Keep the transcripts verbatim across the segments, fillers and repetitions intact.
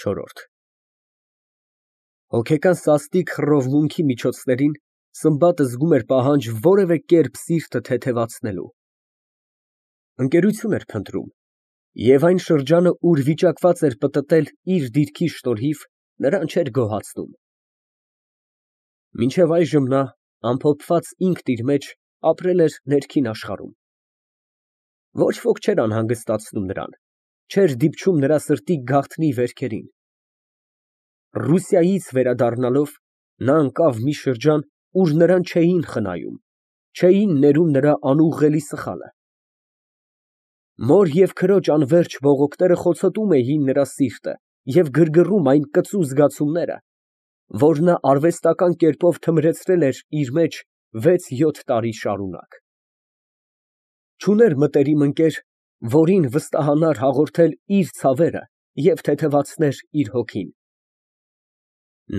Չորրորդ Հոգեկան սաստիկ խռովմունքի միջոցներին Սմբատը զգում էր պահանջ որևէ կերպ սիրտը թեթևացնելու։ Ընկերություն էր փնտրում, և այն շրջանը, ուր վիճակված էր պտտել իր դիրքի շնորհիվ, նրան չէր գոհացնում։ Մինչև այժմ նա, ամփոփված ինքն իր մեջ, ապրել էր ներքին աշխարհում։ Ոչ ոք չէր անհանգստացնում նրան, չէր դիպչում նրա սրտի գաղտնի վերքերին։ Ռուսիայից վերադառնալով, նա ընկավ մի շրջան, ուր նրան չէին խնայում, չէին ներում նրա անուղղելի սխալը։ Մոր և քրոջ անվերջ բողոքները խոցոտում էին նրա սիրտը և գրգռում այն կծու զգացումները, որ նա արվեստական կերպով թմրեցրել էր իր մեջ վեց֊յոթ տարի շարունակ։ Չուներ մտերիմ ընկեր, որին վստահանար հաղորդել իր ցավերը և թեթևացներ իր հոգին։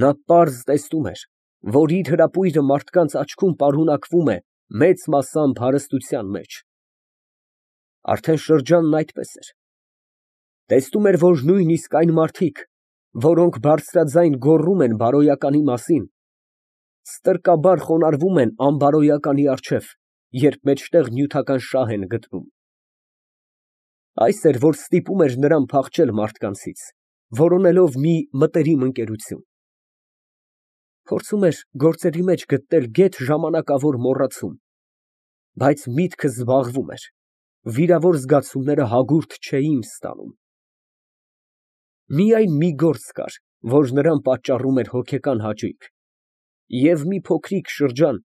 Նա պարզ տեսնում էր, որ իր հրապույրը մարդկանց աչքում պարունակվում է մեծ մասամբ հարստության մեջ։ Արդեն շրջանն այդպես էր։ Տեսնում էր, որ նույնիսկ այն մարդիկ, որոնք բարձրաձայն գոռում են բարոյականի մասին, ստրկաբար խոնարհվում են անբարոյականի առջև, երբ մեջտեղ նյութական շահ են գտնում։ Այս էր, որ ստիպում էր նրան փախչել մարդկանցից, որոնելով մի մտերիմ ընկերություն։ Փորձում էր գործերի մեջ գտնել գեթ ժամանակավոր մոռացում, բայց միտքը զբաղվում էր, վիրավոր զգացումները հագուրդ չէին ստանում։ Միայն մի գործ կար, որ նրան պատճառում էր հոգեկան հաճույք, և մի փոքրիկ շրջան,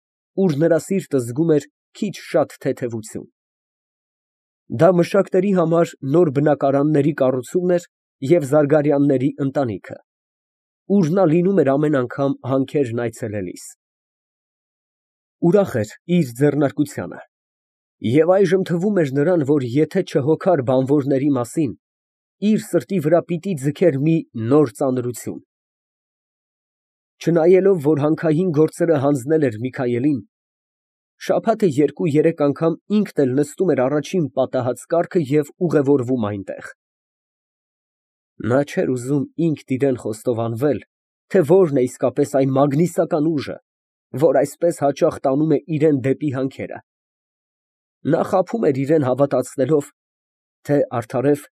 ուր նրա սիրտը զգում էր քիչ֊շատ թեթևություն։ Դա մշակների համար նոր բնակարանների կառուցումն էր և Զարգարյանների ընտանիքը, ուր նա լինում էր ամեն անգամ հանքերն այցելելիս։ Ուրախ էր իր ձեռնարկությանը, և այժմ թվում էր նրան, որ եթե չհոգար բանվորների մասին, իր սրտի վրա պիտի ձգեր մի նոր ծանրություն։ Չնայելով, որ հանքային գործերը հանձնել էր Միքայելին, շաբաթը երկու֊երեք անգամ ինքն էլ նստում էր առաջին պատահած կառքը և ուղևորվում այնտեղ։ Նա չէր ուզում ինքն իրան խոստովանվել, թե որն է իսկապես այն մագնիսական ուժը, որ այսպես հաճախ տանում է իրան դեպի հանքերը։ Նա խաբում էր իրան հավատացնելով, թե արդարև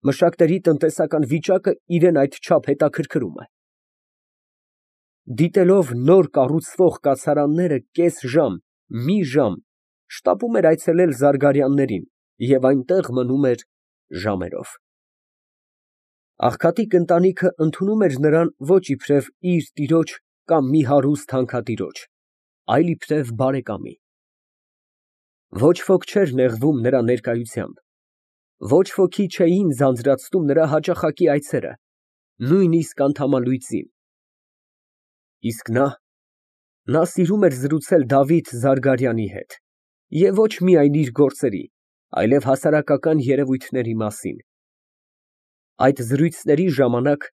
մշակների տնտեսական վիճակը իրան այդչափ հետաքրքրում է։ Դիտելով նոր կառուցվող կացարանները կես ժամ, մի ժամ, շտապում էր այցելել Զարգարյաններին և այնտեղ մնում էր ժամերով։ Աղքատիկ ընտանիքը ընդունում էր նրան ոչ իբրև իր տիրոջ կամ մի հարուստ հանքատիրոջ, այլ իբրև բարեկամի։ Ոչ ոք չէր նեղվում նրա ներկայությամբ, ոչ ոքի չէին ձանձրացնում նրա հաճախակի այցերը, նույնիսկ անդամալույծին։ Իսկ նա… նա սիրում էր զրուցել Դավիթ Զարգարյանի հետ, և ոչ միայն իր գործերի, այլև հասարակական երևույթների մասին։ Այդ զրույցների ժամանակ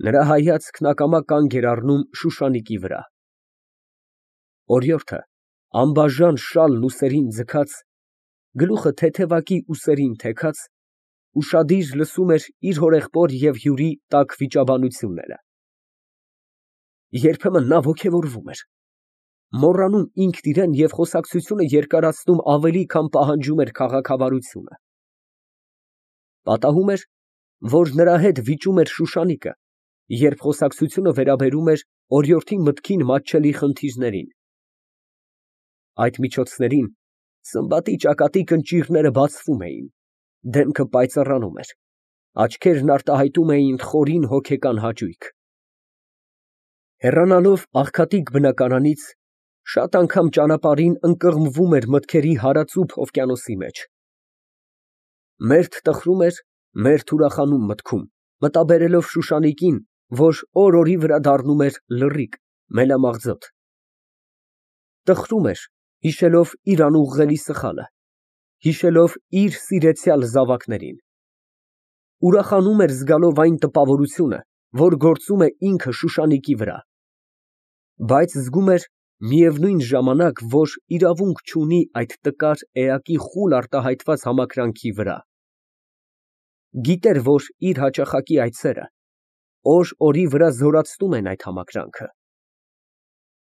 նրա հայացքն ակամա կանգ էր առնում Շուշանիկի վրա։ Օրիորդը, անբաժան շալն ուսերին ձգած, գլուխը թեթևակի ուսերին թեքած, ուշադիր լսում էր իր հորեղբոր և հյուրի տաք վիճաբանությունները։ Երբեմն նա ոգևորվում էր, մոռանում ինքն իրան և խոսակցությունը երկարացնում ավելի, քան պահանջում էր քաղաքավարությունը։ Պատահում էր, որ նրա հետ վիճում էր Շուշանիկը, երբ խոսակցությունը վերաբերում էր օրիորդի մտքին մատչելի խնդիրներին։ Այդ միջոցներին Սմբատի ճակատի կնճիռները բացվում էին, դեմքը պայծառանում էր, աչքերն արտահայտում էին խորին հոգեկան հաճույք։ Հեռանալով աղքատիկ բնակարանից, շատ անգամ ճանապարհին ընկղմվում էր մտքերի հարածուփ օվկիանոսի մեջ։ Մերթ տխրում էր, մերթ ուրախանում մտքում, մտաբերելով Շուշանիկին, որ օր֊օրի վրա դառնում էր լռիկ, մելամաղձոտ։ Տխրում էր, հիշելով իր անուղղելի սխալը, հիշելով իր սիրեցյալ զավակներին։ Ուրախանում էր զգալով այն տպավորությունը, որ գործում է ինքը Շուշանիկի վրա, բայց զգում էր միևնույն ժամանակ, որ իրավունք չունի այդ տկար էակի խուլ արտահայտված համակրանքի վրա։ Գիտեր, որ իր հաճախակի այցերը, օր օրի վրա զորացնում են այդ համակրանքը։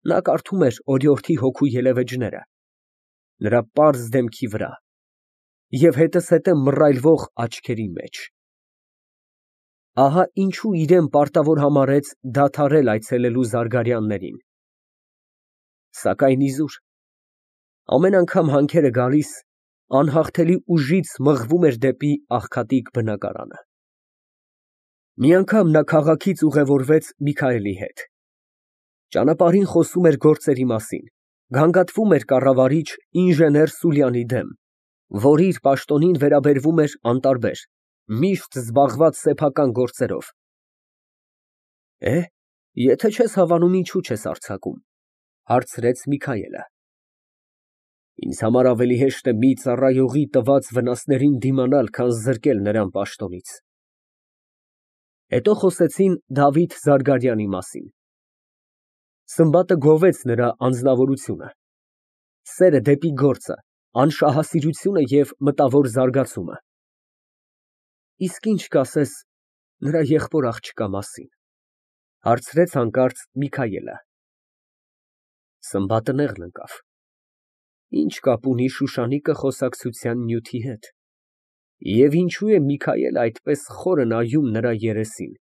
Նա կարդում էր օրիորդի հոգու ելևէջները, նրա պարզ դեմքի վրա և հետզհետե մռայլվող աչքերի մեջ։ Ահա ինչու իրան պարտավոր համարեց դադարել այցելելու Զարգարյաններին։ Սակայն իզուր, ամեն անգամ հանքերը գալիս, անհաղթելի ուժից մղվում էր դեպի աղքատիկ բնակարանը։ Մի անգամ նա քաղաքից ուղևորվեց Միքայելի հետ։ Ճանապարհին խոսում էր գործերի մասին, գանգատվում էր կառավարիչ ինժեներ Սուլյանի դեմ, որ իր պաշտոնին վերաբերվում էր անտարբեր, միշտ զբաղված սեփական գործերով։ Է, եթե չես հավանում, ինչու չես արձակում, հարցրեց Միքայելը։ Ինձ համար ավելի հեշտ է մի ծառայողի տված վնասներին դիմանալ, քան զրկել նրան պաշտոնից։ Հետո խոսեցին Դավիթ Զարգարյանի մասին։ Սմբատը գովեց նրա անձնավորությունը, սերը դեպի գործը, անշահասիրությունը և մտավոր զարգացումը։ Իսկ ինչ կասես նրա եղբոր աղջկա մասին, հարցրեց հանկարծ Միքայելը։ Սմբատը նեղն ընկավ։ Ինչ կապ ունի Շուշանիկը խոսակցության նյութի հետ, և ինչու է Միքայելը այդպես խորը նայում նրա երեսին։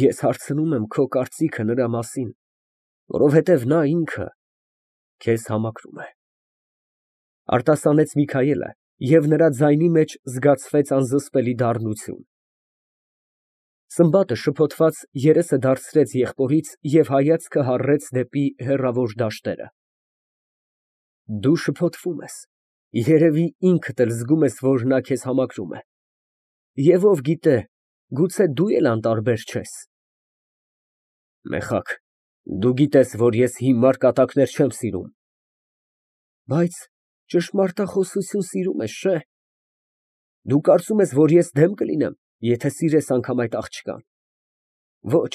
Ես հարցնում եմ քո կարծիքը նրա մասին, որովհետև նա ինքը քեզ համակրում է, արտասանեց Միքայելը, և նրա ձայնի մեջ զգացվեց անզսպելի դառնություն։ Սմբատը շփոթված երեսը դարձրեց եղբորից և հայացքը հառեց դեպի հեռավոր դաշտերը։ Դու շփոթվում ես, երևի ինքդ էլ զգում ես, որ նա քեզ համակրում է, և ով գիտե, գուցե դու էլ անտարբեր չես։ Մեղա, դու գիտես, որ ես հիմար կատակներ չեմ սիրում։ Բայց ճշմարտախոսություն սիրում ես, չէ՞։ Դու կարծում ես, որ ես դեմ կլինեմ, եթե սիրես անգամ այդ աղջկան։ Ոչ,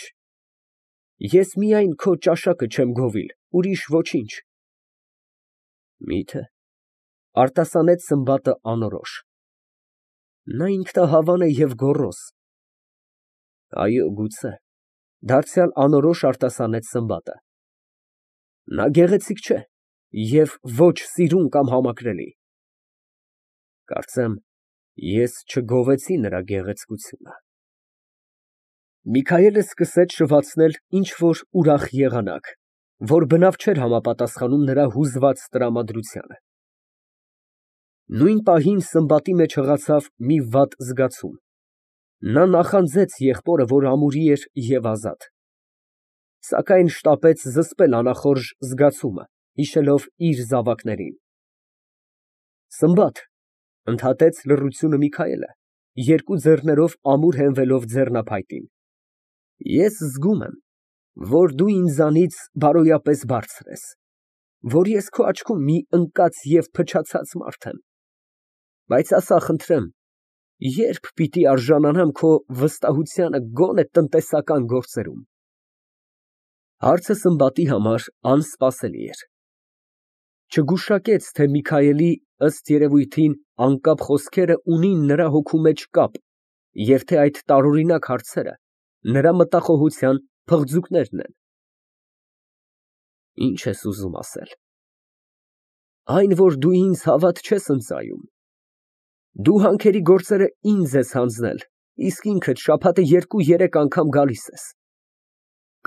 ես միայն քո ճաշակը չեմ գովիլ, ուրիշ ոչինչ։ Մի՞թե, արտասանեց Սմբատը անորոշ։ Նա ինքնահավան է և գոռոզ։ Այո, գուցե, դարձյալ անորոշ արտասանեց Սմբատը։ Նա գեղեցիկ չէ և ոչ սիրուն կամ համակրելի։ Կարծեմ, ես չգովեցի նրա գեղեցկությունը։ Միքայելը սկսեց շվացնել ինչ֊որ ուրախ եղանակ, որ բնավ չէր համապատասխանում նրա հուզված տրամադրությանը։ Նույն պահին Սմբատի մեջ հղացավ մի վատ զգացում։ Նա նախանձեց եղբորը, որ ամուրի էր և ազատ, սակայն շտապեց զսպել անախորժ զգացումը, հիշելով իր զավակներին։ Սմբատ, ընդհատեց լռությունը Միքայելը, երկու ձեռներով ամուր հենվելով ձեռնափայտին, ես զգում եմ, որ դու ինձանից բարոյապես բարձր ես, որ ես քո աչքում մի ընկած և փչացած մարդ եմ, բայց ասա, խնդրեմ, ե՞րբ պիտի արժանանամ քո վստահությանը գոնե տնտեսական գործերում։ Հարցը Սմբատի համար անսպասելի էր։ Չգուշակեց, թե Միքայելի, ըստ երևույթին, անկապ խոսքերը ունին նրա հոգու մեջ կապ և թե այդ տարօրինակ հարցերը նրա մտախոհության փղձուկներն են։ Ի՞նչ ես ուզում ասել։ Այն, որ դու ինձ հավատ չես ընծայում։ Դու հանքերի գործերը ինձ ես հանձնել, իսկ ինքդ շաբաթը երկու֊երեք անգամ գալիս ես։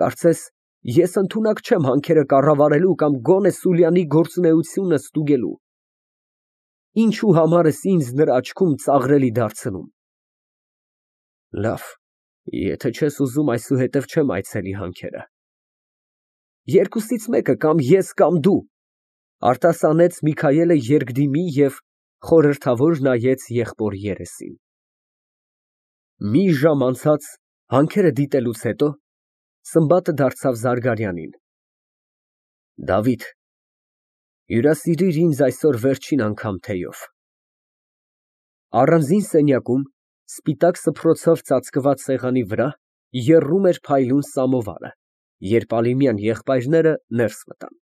Կարծես, ես ընդունակ չեմ հանքերը կառավարելու կամ գոնե Սուլյանի գործունեությունը ստուգելու։ Ինչու համար ես ինձ նրա աչքում ծաղրելի դարձնում։ Լավ, եթե չես ուզում, այսուհետև չեմ այցելի հանքերը։ Երկուսից մեկը, կամ ես, կամ դու, արտասանեց Միքայելը երկդիմի և խորհրդավոր նայեց եղբոր երեսին։ Մի ժամ անցած, հանքերը դիտելուց հետո, Սմբատը դարձավ Զարգարյանին։ Դավիթ, հյուրասիրիր ինձ այսօր վերջին անգամ թեյով։ Առանձին սենյակում, սպիտակ սփռոցով ծածկված սեղանի վրա եռում էր փայլուն սամովարը, երբ Ալիմյան եղբայրները ներս մտան։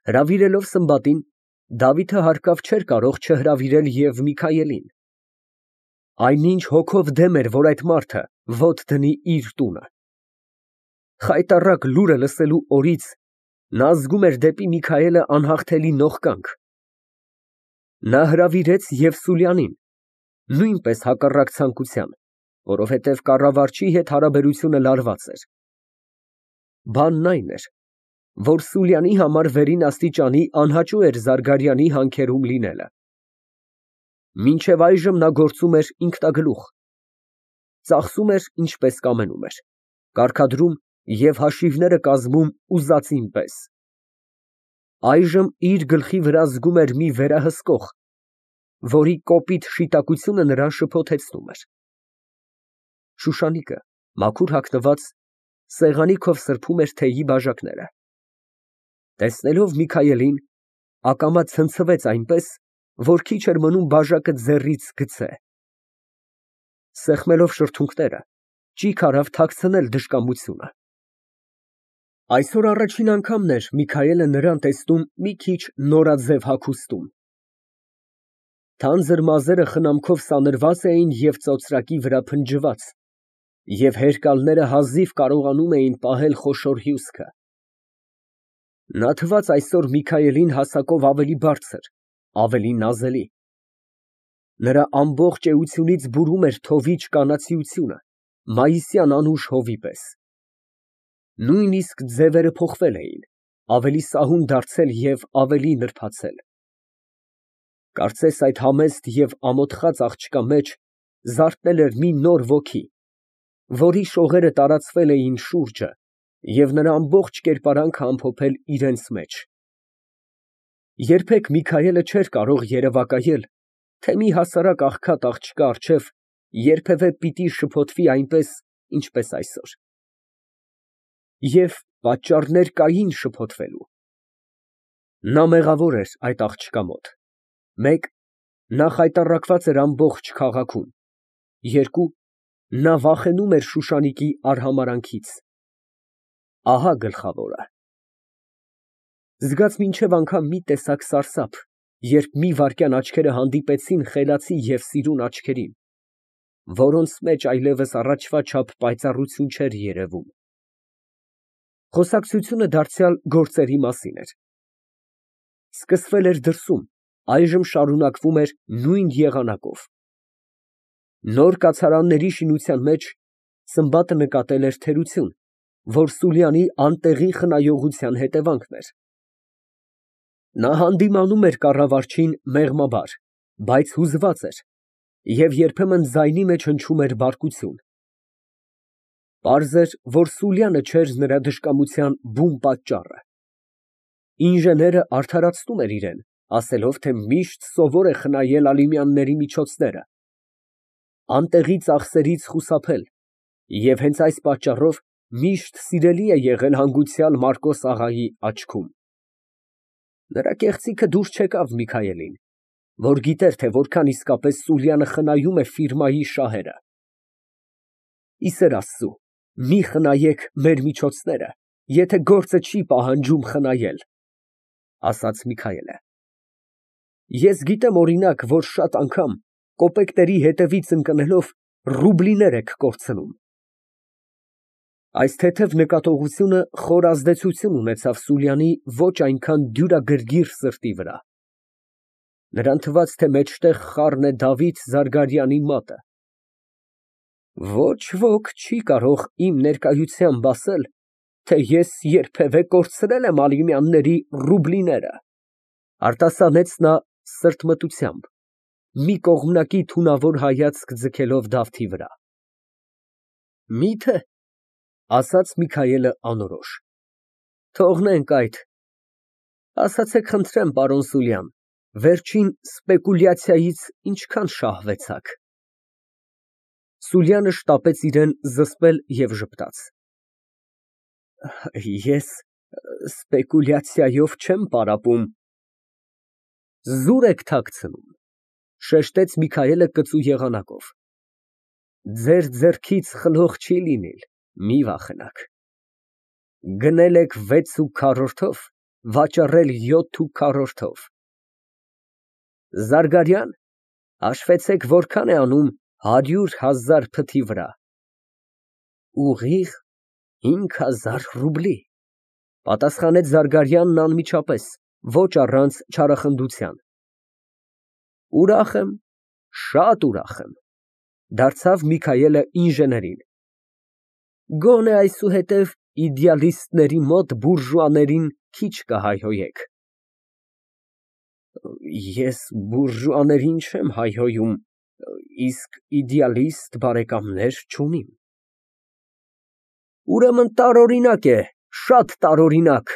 Հրավիրելով Սմբատին, Դավիթը հարկավ չէր կարող չհրավիրել և Միքայելին։ Այնինչ հոգով դեմ էր, որ այդ մարդը, ոտ դնի իր տունը։ Խայտառակ լուրը լսելու օրից նա զգում էր դեպի Միքայելը անհաղթելի նողկանք։ Նա հրավիրեց և Սուլյանին, նույնպես հակառակ ցանկության, որովհետև կառավարչի հետ հարաբերությունը լարված էր։ Բանն այն էր, որ Սուլյանի համար վերին աստիճանի անհաճո էր Զարգարյանի հանքերում լինելը։ Մինչև այժմ նա գործում էր ինքնագլուխ, ծախսում էր ինչպես կամենում էր, կարգադրում և հաշիվները կազմում ուզածին պես։ Այժմ իր գլխի վրա զգում էր մի վերահսկող, որի կոպիտ շիտակությունը նրան շփոթեցնում էր։ Շուշանիկը, մաքուր հագնված, սեղանի քով սրբում էր թեյի բաժակները։ Տեսնելով Միքայելին, ակամա ցնցվեց այնպես, որ քիչ էր մնում բաժակը ձեռքից գցե։ Սեղմելով շրթունքները, ճիգ արավ թաքցնել դժկամությունը։ Այսօր առաջին անգամն էր Միքայելը նրան տեսնում մի քիչ նորաձև հագուստում։ Թանձր մազերը խնամքով սանրված էին և ծոծրակի վրա փնջված, և հերկալները հազիվ կարողանում էին պահել խոշոր հյուսքը։ Նա թվաց այսօր Միքայելին հասակով ավելի բարձր, ավելի նազելի։ Նրա ամբողջ էությունից բուրում էր թովիչ կանացիությունը, մայիսյան անուշ հովի պես։ Նույնիսկ ձևերը փոխվել էին, ավելի սահուն դարձել և ավելի նրբացել։ Կարծես այդ համեստ և ամոթխած աղջկա մեջ զարթնել էր մի նոր ոգի, որի շողերը տարածվել էին շուրջը և նրա ամբողջ կերպարանքը ամփոփել իրենց մեջ։ Երբեք Միքայելը չէր կարող երևակայել, թե մի հասարակ աղքատ աղջկա առջև երբևէ պիտի շփոթվի այնպես, ինչպես այսօր։ Եվ պատճառներ կային շփոթվելու։ Նա մեղավոր էր այդ աղջկա մոտ։ Մեկ, նա խայտառակված էր ամբողջ քաղաքում։ Երկու, նա վախենում էր Շուշանիկի արհամարհանքից։ Ահա գլխավորը։ Զգաց մինչև անգամ մի տեսակ սարսափ, երբ մի վայրկյան աչքերը հանդիպեցին խելացի և սիրուն աչքերին, որոնց մեջ այլևս առաջվա չափ պայծառություն չէր երևում։ Խոսակցությունը դարձյալ գործերի մասին էր։ Սկսվել էր դրսում, այժմ շարունակվում էր նույն եղանակով։ Նոր կացարանների շինության մեջ Սմբատը նկատել էր թերություն, որ Սուլյանի անտեղի խնայողության հետևանքն էր։ Նա հանդիմանում էր կառավարչին մեղմաբար, բայց հուզված էր և երբեմն ձայնի մեջ հնչում էր բարկություն։ Պարզ էր, որ Սուլյանը չէր նրա դժկամության բուն պատճառը։ Ինժեները արդարացնում էր իրան, ասելով, թե միշտ սովոր է խնայել Ալիմյանների միջոցները, անտեղի ծախսերից խուսափել և հենց այս պատճառով միշտ սիրելի է եղել հանգուցյալ Մարկոս աղայի աչքում։ Նրա կեղծիքը դուր չեկավ Միքայելին, որ գիտեր, թե որքան իսկապես Սուլյանը խնայում է ֆիրմայի շահերը։ Ի սեր Աստծու, մի խնայեք մեր միջոցները, եթե գործը չի պահանջում խնայել, ֊ ասաց Միքայելը։ Ես գիտեմ, օրինակ, որ շատ անգամ կոպեկների հետևից ընկնելով ռուբլիներ եք կորցնում։ Այս թեթև նկատողությունը խոր ազդեցություն ունեցավ Սուլյանի ոչ այնքան դյուրագրգիռ սրտի վրա։ Նրան թվաց, թե մեջտեղ խառն է Դավիթ Զարգարյանի մատը։ Ոչ ոք չի կարող իմ ներկայությամբ ասել, թե ես երբևէ կորցրել եմ Ալիմյանների ռուբլիները, ֊ արտասանեց նա սրտմտությամբ, մի կողմնակի թունավոր հայացք ձգելով Դավթի վրա։ Մի՞թե, ֊ ասաց Միքայելը անորոշ։ Թողնենք այդ։ Ասացեք խնդրեմ, պարոն Սուլյան, վերջին սպեկուլյացիայից ինչքան շահվեցաք։ Սուլյանը շտապեց իրան զսպել և ժպտաց։ Ես սպեկուլյացիայով չեմ պարապում։ Զուր եք թաքցնում, ֊ շեշտեց Միքայելը կծու եղանակով։ Ձեր ձեռքից խլող չի լինիլ, մի վախենաք։ Գնել եք վեց ու քառորդով, վաճառել յոթ ու քառորդով։ Զարգարյան, հաշվեցեք, որքան է անում հարյուր հազար փթի վրա։ Ուղիղ հինգ հազար ռուբլի, պատասխանեց Զարգարյանն անմիջապես, ոչ առանց չարախնդության։ Ուրախ եմ, շատ ուրախ եմ, դարձավ Միքայելը ինժեներին։ Գոնե այսուհետև իդեալիստների մոտ բուրժուաներին քիչ կհայհոյեք։ Ես բուրժուաներին չեմ հայհոյում, իսկ իդեալիստ բարեկամներ չունիմ։ Ուրեմն տարօրինակ է, շատ տարօրինակ,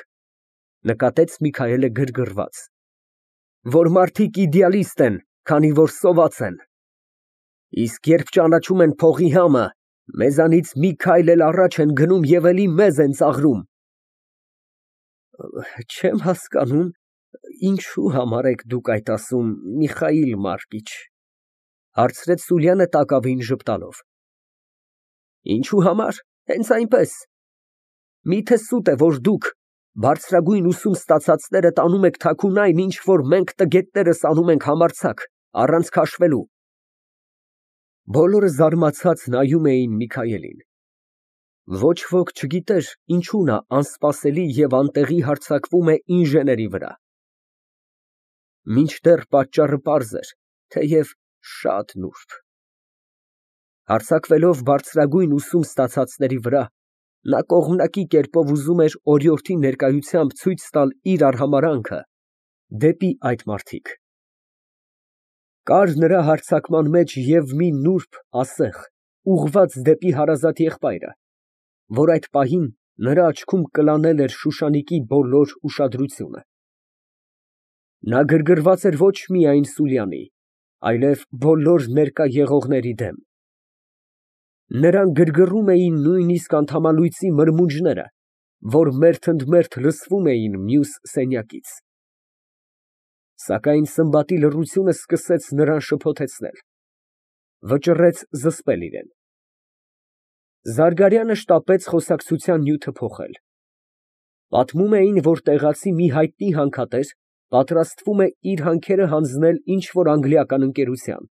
նկատեց Միքայելը գրգռված, որ մարդիկ իդեալիստ են, քանի որ սոված են, իսկ երբ ճանաչում են փողի համը, մեզանից մի քայլ էլ առաջ են գնում և էլի մեզ են ծաղրում։ Չեմ հասկանում, ինչու համար եք դուք այդ ասում, Միխայիլ Մարկիչ, հարցրեց Սուլյանը տակավին ժպտալով։ Ինչու համար, հենց այնպես։ Միթե սուտ է, որ դուք, բարձրագույն ուսում ստացածները, տանում եք թաքուն այն, ինչ որ մենք տգետներս անում ենք համարձակ, առանց քաշվելու։ Բոլորը զարմացած նայում էին Միքայելին։ Ոչ ոք չգիտեր, ինչու նա անսպասելի և անտեղի հարձակվում է ինժեների վրա։ Մինչդեռ պատճառը պարզ էր, թեև շատ նուրբ։ Հարձակվելով բարձրագույն ուսում ստացածների վրա, նա կողմնակի կերպով ուզում էր օրիորդի ներկայությամբ ցույց տալ իր արհամարհանքը դեպի այդ մարդիկ։ Կար նրա հարձակման մեջ և մի նուրբ ասեղ, ուղղված դեպի հարազատ եղբայրը, որ այդ պահին նրա աչքում կլանել էր Շուշանիկի բոլոր ուշադրությունը։ Նա գրգռված էր ոչ միայն Սուլյանի, այլև բոլոր ներկա եղողների դեմ։ Նրան գրգռում էին նույնիսկ անդամալույծի մրմունջները, որ մերթընդմերթ լսվում էին մյուս սենյակից։ Սակայն Սմբատի լռությունը սկսեց նրան շփոթեցնել, վճռեց զսպել իրան։ Զարգարյանը շտապեց խոսակցության նյութը փոխել։ Պատմում էին, որ տեղացի մի հայտնի հանքատեր պատրաստվում է իր հանքերը հանձնել ինչ֊որ անգլիական ընկերության։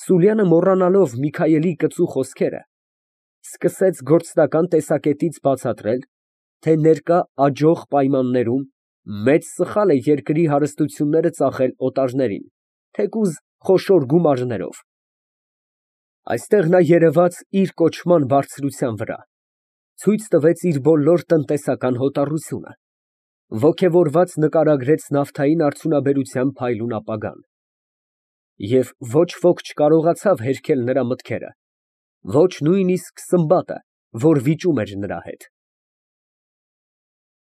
Սուլյանը, մոռանալով Միքայելի կծու խոսքերը, սկսեց գործնական տեսակետից բացատրել, թե ներկա աճող պայմաններում մեծ սխալ է երկրի հարստությունները ծախել օտարներին, թեկուզ խոշոր գումարներով։ Այստեղ նա երևաց իր կոչման բարձրության վրա, ցույց տվեց իր բոլոր տնտեսական հոտառությունը, ոգևորված նկարագրեց նավթային արդյունաբերության փայլուն ապագան։ Եվ ոչ ոք չկարողացավ հերքել նրա մտքերը, ոչ նույնիսկ Սմբատը, որ վիճում էր նրա հետ։